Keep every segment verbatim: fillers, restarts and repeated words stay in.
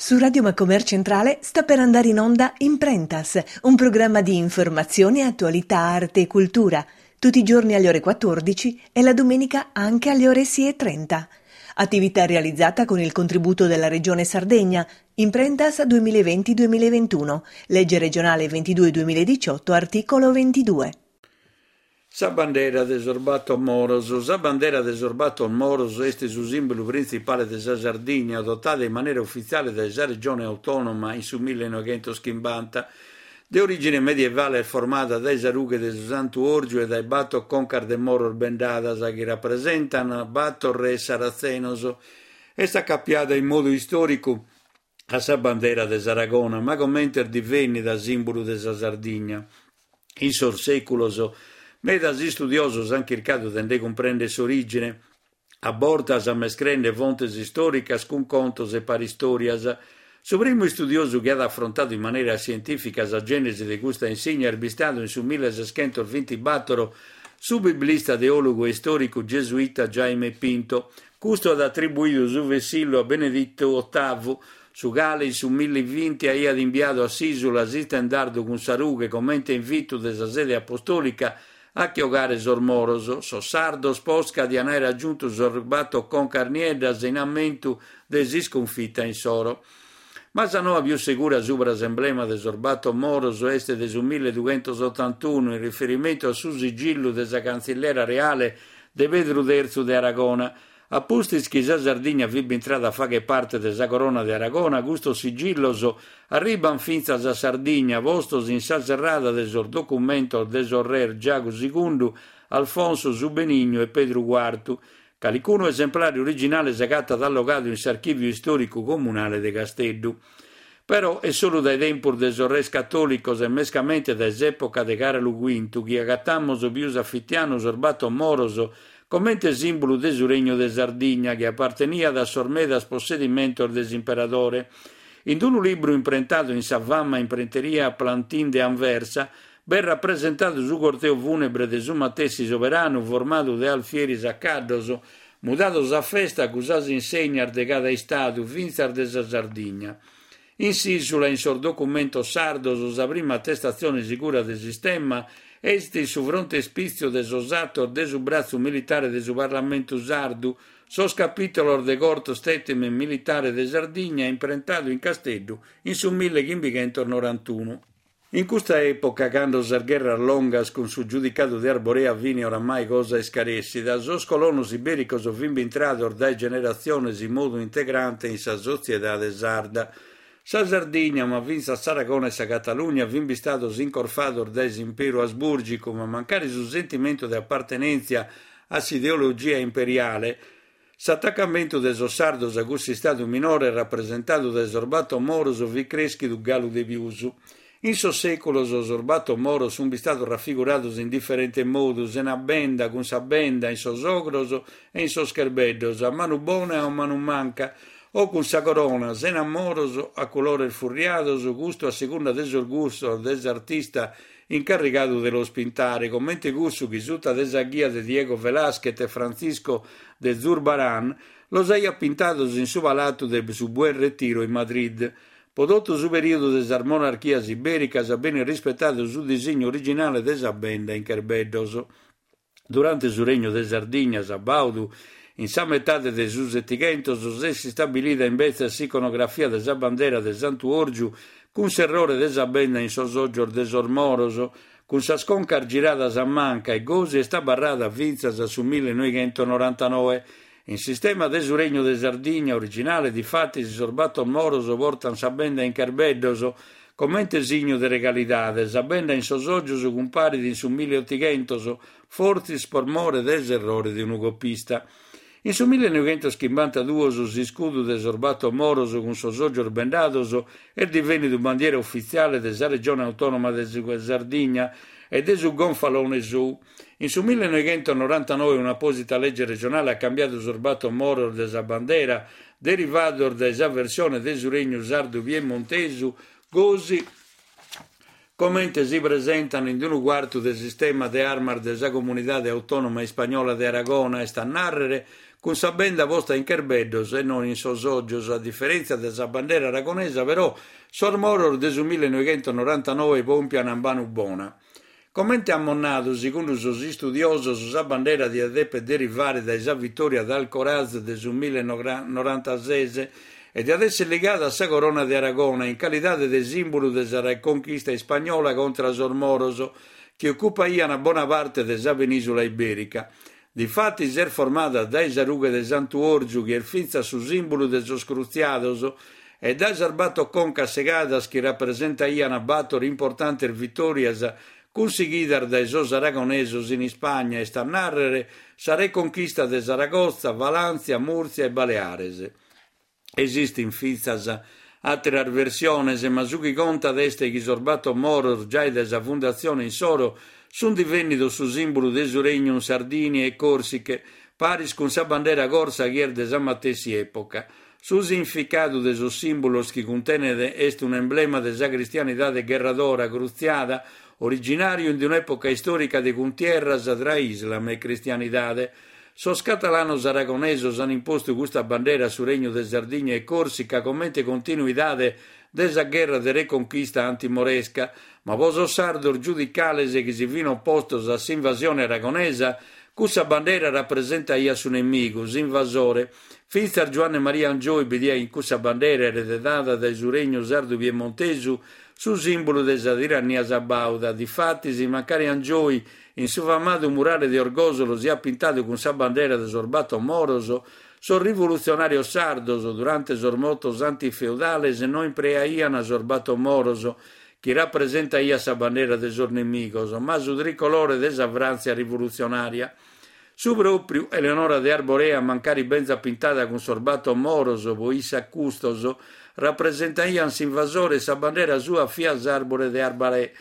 Su Radio Macomer Centrale sta per andare in onda Imprentas, un programma di informazione, attualità, arte e cultura, tutti i giorni alle ore quattordici e la domenica anche alle ore sei e trenta. Attività realizzata con il contributo della Regione Sardegna, Imprentas duemilaventi duemilaventuno, legge regionale ventidue duemiladiciotto, articolo ventidue. Sa bandera de sos Bator Moros. Sa bandera de sos Bator Moros est su sìmbulu printzipale de sa Sardigna, adotada in manera ufitziale dae sa Regione Autònoma in su millenoveghentos-chimbanta. De orìgine medievale est formada dae sa rughe de su Santu Òrgiu e dae bator concas de moros bendadas chi rapresentant bator res saratzenos. Est acapiada in modu istòricu a sa bandera de s'Aragona, ma comente est divènnida sìmbulu de sa Sardigna. In sos sèculos, medas istudiosos ant chircadu de nde cumprèndere s'orìgine, a bortas mescrende fontes istòricas cun contos e paristòrias. Su primu istudiosu chi at afrontadu in manera sientìfica sa gènesi de custa insigna est bistadu in su milleseschentos-bintibatoro su biblista, teòlogu e istòricu gesuita Jaime Pinto. Custu at atribuidu su vessillu a Beneditu otavu, su cale in su millevinti aiat imbiadu a s'ìsula s'istendardu cun sa rughe comente invitu de sa sede apostòlica a che 'ogare sos moros. Sos sardos posca dian aer agiuntu sos bator concas nieddas in ammentu de s'iscunfita insoro. Ma sa noa pius segura subra s'emblema de sos bator moros est de su milledughentosotantunu in riferimentu a su sigillu de sa cantzillera reale de Pedru tertzu de Aragona. A pustis chi sa Sardigna fit bintrada a fagher parte de sa Corona de Aragona, custos sigillos arribant fintzas a Sardigna, postos in sa serrada de sos documentos de sos res Giagu segundu, Alfonso su Benignu e Pedru cuartu. Calicunu esemplare originale s'agatat allogadu in s'Archìviu Istòricu Comunale de Casteddu. Però est solu dae tempus de sos res catòlicos e mescamente dae s'època de Càralu cuintu chi agatamus pius a fitianu sos bator moros comente sìmbulu de su Regnu de Sardigna chi aparteniat a sos medas possedimentos de s'imperadore. In unu libru imprentadu in sa fama imprenteria Plantin de Anversa, b'est rapresentadu su corteo fùnebre de su matessi soberanu formadu de alfieris a caddos, mudados a festa cun sas insegnas de cada istadu, fintzas de sa Sardigna. In s'ìsula, in sos documentos sardos, sa prima atestatzione segura de s'istemma est in su frontespìtziu de sos atos de su bratzu militare de su Parlamentu sardu, sos capìtolos de Corps Statement Militare de Sardigna, imprentadu in Casteddu in su millechimbichentos-norantunu. In custa època, cando sas gherras longas cun su giudicadu de Arborea fini oramai cosa iscarèssida, sos colonos ibèricos fin bintrados dae generatziones in modu integrante in sa sotziedade sarda. Sa Sardigna, ma fintzas s'Aragona e sa Catalugna fin bistados incorfados dae s'imperu asbùrgicu, ma mancari su sentimentu de apartenèntzia a s'ideologia imperiale, s'atacamentu de sos sardos a cussu istadu minore rapresentadu dae sos bator moros fit crèschidu galu de pius. In sos sèculos sos bator moros sunt bistados rafigurados in diferente modu, sena benda, cun sa benda in sos ogros e in sos cherbeddos, a manu bona e a manu manca, o cun sa corona, sena moros, a colores furriados, custu a segunda de sos gustos de s'artista incarrigadu de los pintare, comente cussu chi suta de sa ghia de Diego Velázquez e Francisco de Zurbarán los aiat pintados in su palatu de su Buen Retiro in Madrid. Pro totu su perìodu de sas monarchias ibèricas benit rispetadu su disignu originale de sa benda in cherbeddos. Durante su Regnu de Sardigna, Sabaudu, in sa metade de su Setighentos, s'est istabilida imbetzes s'iconografia de sa bandera de Santu Òrgiu cun s'errore de sa benda in sos ògios de sos moros, cun sas concas giradas a manca e gosi est abarrada fintzas a su millenoveghentos-norantanoe. In s'istemma de su Regnu de Sardigna originale, difatis, sos bator moros portant sa benda in cherbeddos, comente signu de regalidade. Sa benda in sos ògios cumparit in su milleotighentos, fortzis pro more de s'errore de unu copista. In su millenoveghentos-chimbantaduos s'iscudu de sos bator moros cun sos ògios bendados est divenidu bandiera ufitziale de sa Regione Autònoma de Sardigna e de su gonfalone sou. In su millenoveghentos-norantanoe un'apòsita lege regionale at cambiadu sos bator moros de sa bandera, derivados dae sa versione de su Regnu Sardu Piemontesu, gosi comente si presentan in unu cuartu de s'istemma de armas de sa Comunidade Autònoma Ispagnola de Aragona, est a nàrrere cun sa benda posta in cherbeddos e non in sos ògios. A diferèntzia de sa bandera aragonesa, però, sos moros de su millenoighentonorantanoe pompian a manu bona. Comente amus nadu, segundu sos istudiosos, sa bandera diat dèpere derivare dae sa vitòria de Alcoraz de su millenorantases e diat èssere ligada a sa corona de Aragona in calidade de sìmbulu de sa reconchista ispagnola contra sos moros, chi ocupaiant bona parte de sa penìsula ibèrica. Difatis est formada dae sa rughe de Santu Òrgiu, chi est fintzas su sìmbulu de sos crutziados, e dae sas bator concas segadas chi rapresentaiant bator importantes vitòrias cunsighidas dae sos aragonesos in Ispagna, est a nàrrere sa reconchista de Saragotza, Valàntzia, Mùrtzia e Baleares. Esistint fintzas àteras versiones, ma su chi contat est chi sos bator moros, giai dae sa fundatzione insoro, sunt divènnidos su sìmbulu de su regnu in Sardigna e Còrsiche, paris cun sa bandera corsa chi est de sa matessi època. Su significadu de sos sìmbulos chi cuntenet est un'emblema de sa cristianidade gherradora crutziada, originàriu in un'època istòrica de cuntierras tra Islam e cristianidade. Sos catalanos aragonesos ant impostu custa bandera a su Regnu de Sardigna e Còrsica comente continuidade de sa gherra de reconchista antimoresca, ma pro sos sardos giudicales chi si fin opostos a s'invasione aragonesa, cussa bandera rapresentaiat su nemigu, s'invasore. Fintzas Giuanne Maria Angioy bidiat in cussa bandera eredada dae su Regnu sardu piemontesu su sìmbulu de sa tirannia sabauda. Difatis, mancari Angioy in su famadu murale de Orgòsolo siat pintadu cun sa bandera de sos bator moros, sos rivolutzionàrios sardos, durante sos motos antifeudales, no impreaiant sos bator moros, chi rapresentaiat sa bandera de sos nemigos, ma su tricolore de sa Fràntzia rivolutzionària. Su pròpiu Eleonora de Arborea, mancari benzat pintada cun sos bator moros, pro issa custos rapresentaiant s'invasore e sa bandera sua fiat s'àrbore de Arbarè.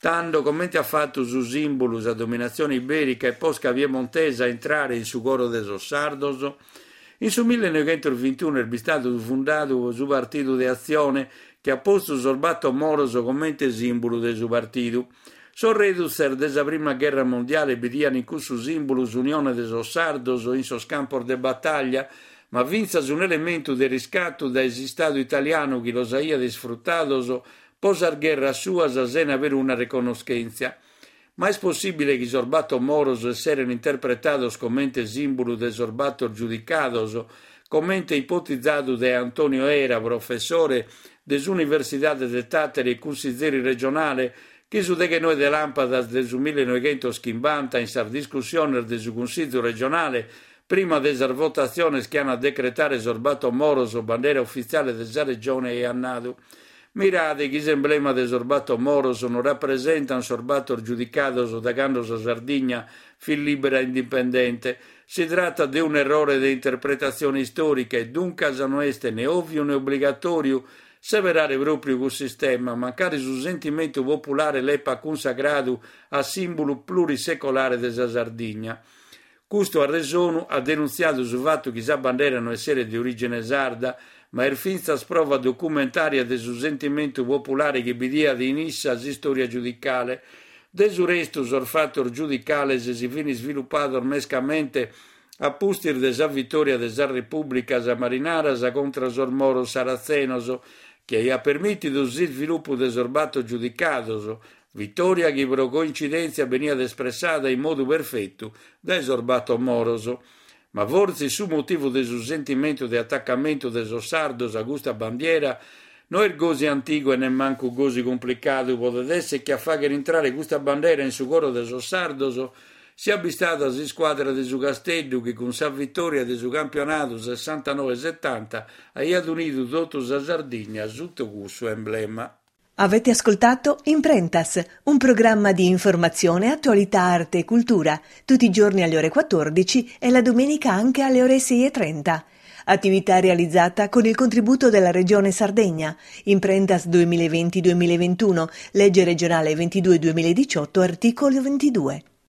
Tando, comente at fatu su sìmbulu sa dominatzione ibèrica e posca piemontesa a intrare in su coro de sos sardos? In su millenoighentos-vintunu est bistadu fundadu su Partidu de Atzione, chi at postu sos bator moros comente sìmbulu de su partidu. Sos redutzes de sa Prima Gherra Mondiale bidiant in cussu sìmbulu s'unione de sos sardos in sos campos de batalla, ma fintzas un'elementu de riscatu dae s'Istadu italianu chi los aiat isfrutados pro sas gherras suas sena peruna reconnoschèntzia. Ma est possìbile chi sos bator moros esserent interpretados comente sìmbulu de sos bator giudicados, comente ipotizadu dae Antonio Era, professore de s'Universidade de Tàtari e cunsizeri regionale, chi su deghennoe de làmpadas de su millenoighentos-chimbanta in sas discussiones de su Cunsìgiu regionale, prima de sas votatziones chi ant a decretare sos bator moros bandera ufitziale de sa regione, aiat nadu: Mirade chi s'emblema de sos bator moros non rapresentant sos bator giudicados da cando sa Sardigna fit lìbera e indipendente. Si tratat de un'errore de interpretatzione istòrica e duncas no est ne òviu ne obligatòriu seberare pròpiu cussu istemma, mancari su sentimentu populare l'epat cunsagradu a sìmbulu plurisecolare de sa Sardigna. Custu arresonu at denuntziadu su fatu chi sa bandera no esseret de orìgine sarda, ma est fintzas prova documentària de su sentimentu populare chi bidiat in issa s'istòria giudicale. De su restu, sos fatos giudicales si fin isvilupados mescamente a pustis de sa vitòria de sas repùblicas marinaras contra sos moros saratzenos, chi aiat permìtidu s'isvilupu de sos bator giudicados, vitòria chi pro coincidèntzia beniat espressada in modu perfetu dae sos bator moros. Ma fortzis su motivu de su sentimentu de atacamentu de sos sardos a custa bandiera no est gosi antigu e nemmancu gosi cumplicadu. Podet èssere chi a fàghere intrare custa bandera in su coro de sos sardos siat bistada s'iscuadra de su Casteddu chi cun sa vitòria de su campionadu sessantanoe setanta aiat unidu totu sa Sardigna sutta cussu emblema. Avete ascoltato Imprentas, un programma di informazione, attualità, arte e cultura, tutti i giorni alle ore quattordici e la domenica anche alle ore sei e trenta. Attività realizzata con il contributo della Regione Sardegna. Imprentas duemilaventi duemilaventuno, legge regionale ventidue duemiladiciotto, articolo ventidue.